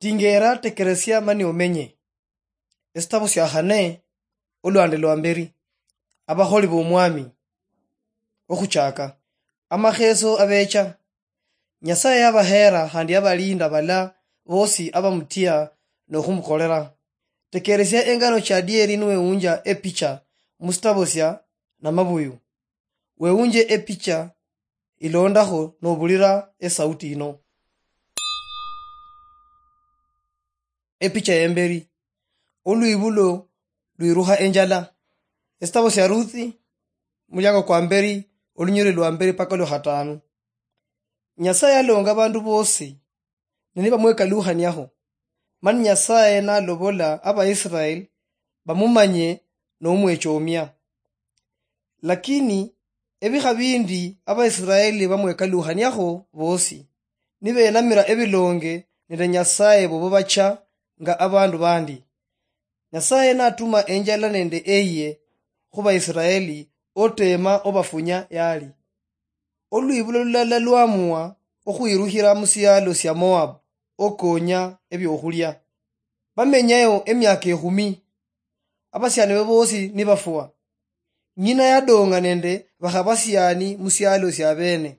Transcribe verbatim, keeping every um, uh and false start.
Tingeera, tekeresia mani omenye. Esitabo sia khane, olwande lwa mberi. Abakholi b'Omwami. Okhuchaka. Amakheso abecha. Nyasaye yabaheera khandi yabalinda bala bosi abamutia nokhumukorera. Tekeresia engano chia adieri niwewunja epicha musitabo sia namabuyu. Wewunje epicha ilondakho nobulira esauti ino. Epicha yemberi. Olwibulo lwirukha enjala. Esitabo sia Ruthi, muliango kwa mberi, olunyiriri lwa mberi paka olwa khatanu. Nyasaye alonga abandu bosi, ne nibamwekalukhaniakho. Mani Nyasaye nalobola Abaisraeli bamumanye nomwechomia. Lakini ebikha bindi Abaisraeli bamwekalukhaniakho bosi, nibenamira ebilonge nende Nyasaye bobo bacha nga abandu bandi. Nyasaye natuma enjala nende eye khu Baisraeli, otema obafunya yali. Olwibulo lulala lwamua okhwirukhira musialo sia Moab okonya ebiokhulia. Bamenyayo emiaka ekhumi. Abasiani be bosi nibafwa. Ng'ina yadong'a nende bakhabasiani musialo sia bene.